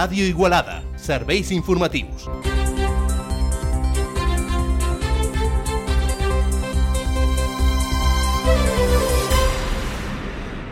Ràdio Igualada, serveis informatius.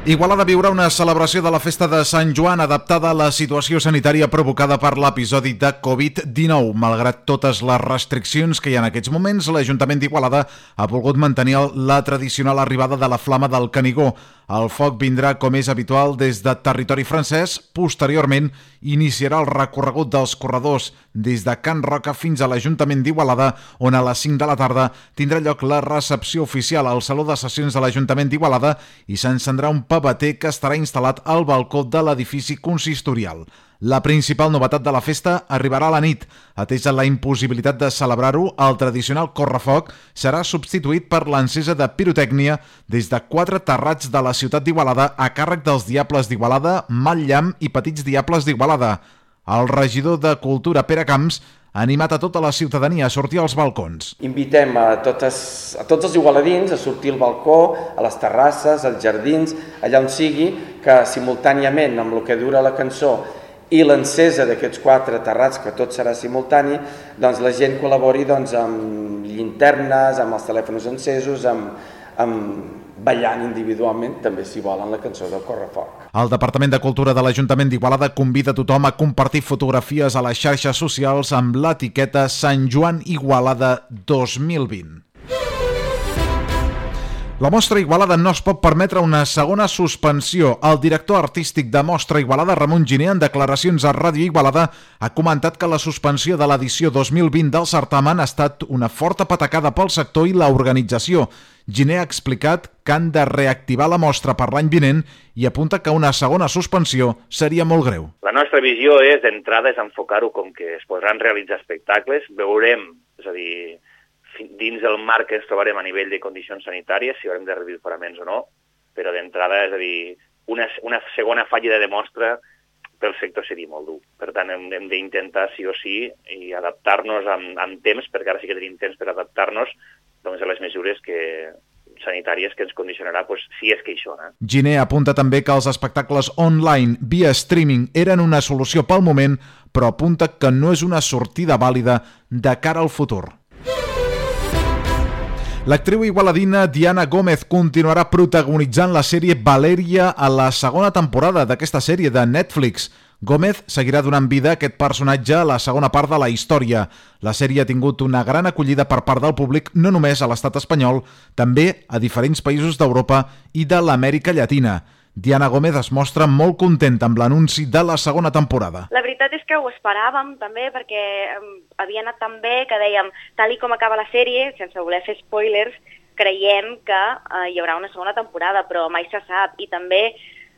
Igualada viurà una celebració de la festa de Sant Joan adaptada a la situació sanitària provocada per l'episodi de Covid-19. Malgrat totes les restriccions que hi ha en aquests moments, l'Ajuntament d'Igualada ha volgut mantenir la tradicional arribada de la Flama del Canigó. El foc vindrà, com és habitual, des de territori francès. Posteriorment, iniciarà el recorregut dels corredors des de Can Roca fins a l'Ajuntament d'Igualada, on a les 5 de la tarda tindrà lloc la recepció oficial al Saló de Sessions de l'Ajuntament d'Igualada i s'encendrà un paveter que estarà instal·lat al balcó de l'edifici consistorial. La principal novetat de la festa arribarà a la nit. Atesa la impossibilitat de celebrar-ho, el tradicional correfoc serà substituït per l'encesa de pirotècnia des de 4 terrats de la ciutat d'Igualada a càrrec dels Diables d'Igualada, Mal Llamp i Petits Diables d'Igualada. El regidor de Cultura, Pere Camps, ha animat a tota la ciutadania a sortir als balcons. Invitem a tots els igualadins a sortir al balcó, a les terrasses, als jardins, allà on sigui, que simultàniament amb el que dura la cançó i l'encesa d'aquests 4 terrats, que tot serà simultani, doncs la gent col·labori amb llinternes, amb els telèfons encesos, amb ballant individualment, també si volen la cançó del correfoc. El Departament de Cultura de l'Ajuntament d'Igualada convida tothom a compartir fotografies a les xarxes socials amb l'etiqueta Sant Joan Igualada 2020. La Mostra Igualada no es pot permetre una segona suspensió. El director artístic de Mostra Igualada, Ramon Giner, en declaracions a Ràdio Igualada, ha comentat que la suspensió de l'edició 2020 del certamen ha estat una forta patacada pel sector i l'organització. Giner ha explicat que han de reactivar la mostra per l'any vinent i apunta que una segona suspensió seria molt greu. La nostra visió és, d'entrada, és enfocar-ho com que es podran realitzar espectacles, veurem, és a dir, dins del marc que ens trobarem a nivell de condicions sanitàries, si haurem de reduir paraments o no, però d'entrada, és a dir, una segona fallida de mostra pel sector seria molt dur. Per tant, hem d'intentar, sí o sí, i adaptar-nos amb temps, perquè ara sí que tenim temps per adaptar-nos doncs, a les mesures sanitàries que ens condicionarà, si és que hi són. Giner apunta també que els espectacles online via streaming eren una solució pel moment, però apunta que no és una sortida vàlida de cara al futur. L'actriu igualadina Diana Gómez continuarà protagonitzant la sèrie Valèria a la segona temporada d'aquesta sèrie de Netflix. Gómez seguirà donant vida a aquest personatge a la segona part de la història. La sèrie ha tingut una gran acollida per part del públic, no només a l'estat espanyol, també a diferents països d'Europa i de l'Amèrica Llatina. Diana Gómez es mostra molt contenta amb l'anunci de la segona temporada. La veritat és que ho esperàvem també perquè havia anat tan bé que dèiem, tal i com acaba la sèrie, sense voler fer spoilers, creiem que hi haurà una segona temporada, però mai se sap. I també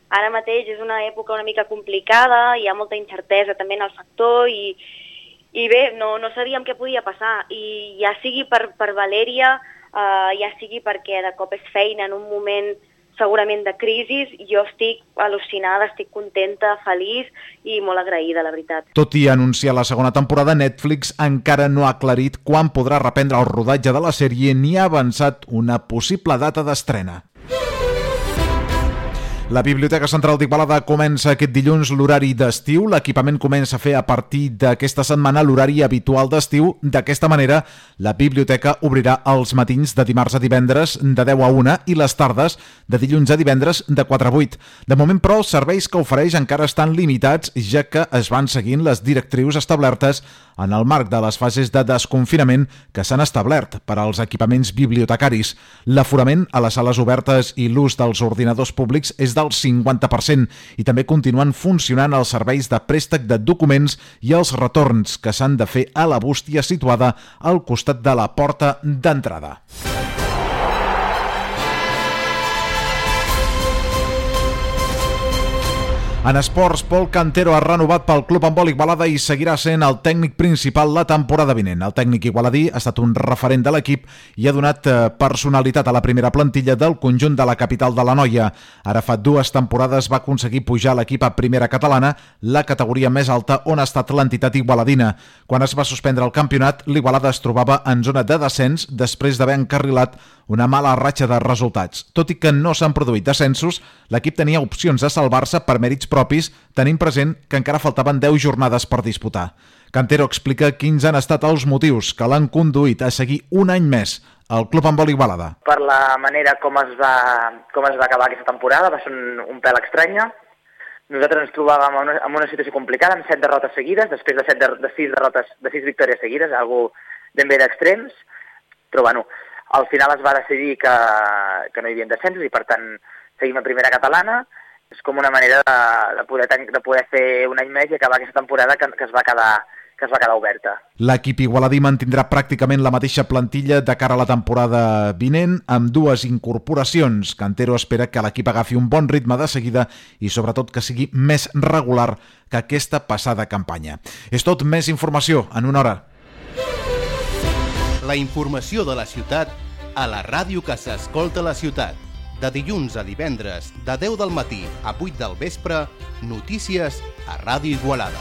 ara mateix és una època una mica complicada, hi ha molta incertesa també en el sector i bé, no sabíem què podia passar. I ja sigui per Valèria, ja sigui perquè de cop és feina en un moment segurament de crisi, jo estic al·lucinada, estic contenta, feliç i molt agraïda, la veritat. Tot i anunciar la segona temporada, Netflix encara no ha aclarit quan podrà reprendre el rodatge de la sèrie ni ha avançat una possible data d'estrena. La Biblioteca Central d'Igualada comença aquest dilluns l'horari d'estiu. L'equipament comença a fer a partir d'aquesta setmana l'horari habitual d'estiu. D'aquesta manera, la biblioteca obrirà els matins de dimarts a divendres de 10 a 1 i les tardes de dilluns a divendres de 4 a 8. De moment, però, els serveis que ofereix encara estan limitats, ja que es van seguint les directrius establertes en el marc de les fases de desconfinament que s'han establert per als equipaments bibliotecaris. L'aforament a les sales obertes i l'ús dels ordinadors públics és del 50% i també continuen funcionant els serveis de préstec de documents i els retorns que s'han de fer a la bústia situada al costat de la porta d'entrada. En esports, Pol Cantero ha renovat pel Club Handbol Igualada i seguirà sent el tècnic principal la temporada vinent. El tècnic igualadí ha estat un referent de l'equip i ha donat personalitat a la primera plantilla del conjunt de la capital de l'Anoia. Ara fa 2 temporades va aconseguir pujar l'equip a primera catalana, la categoria més alta on ha estat l'entitat igualadina. Quan es va suspendre el campionat, l'Igualada es trobava en zona de descens després d'haver encarrilat una mala ratxa de resultats. Tot i que no s'han produït descensos, l'equip tenia opcions de salvar-se per mèrits propis, tenint present que encara faltaven 10 jornades per disputar. Cantero explica quins han estat els motius que l'han conduït a seguir un any més al Club Handbol Igualada. Per la manera com es va acabar aquesta temporada, va ser un pèl estranya. Nosaltres ens trobàvem en una situació complicada, amb 7 derrotes seguides, després de 6 victòries seguides, algo ben bé d'extrems, però bueno, al final es va decidir que no hi havia descensos i per tant seguim a primera catalana. És com una manera de poder fer un any més i acabar aquesta temporada que es va quedar oberta. L'equip igualadí mantindrà pràcticament la mateixa plantilla de cara a la temporada vinent, amb 2 incorporacions. Cantero espera que l'equip agafi un bon ritme de seguida i sobretot que sigui més regular que aquesta passada campanya. És tot, més informació en una hora. La informació de la ciutat a la ràdio que s'escolta a la ciutat. De dilluns a divendres, de 10 del matí a 8 del vespre, notícies a Ràdio Igualada.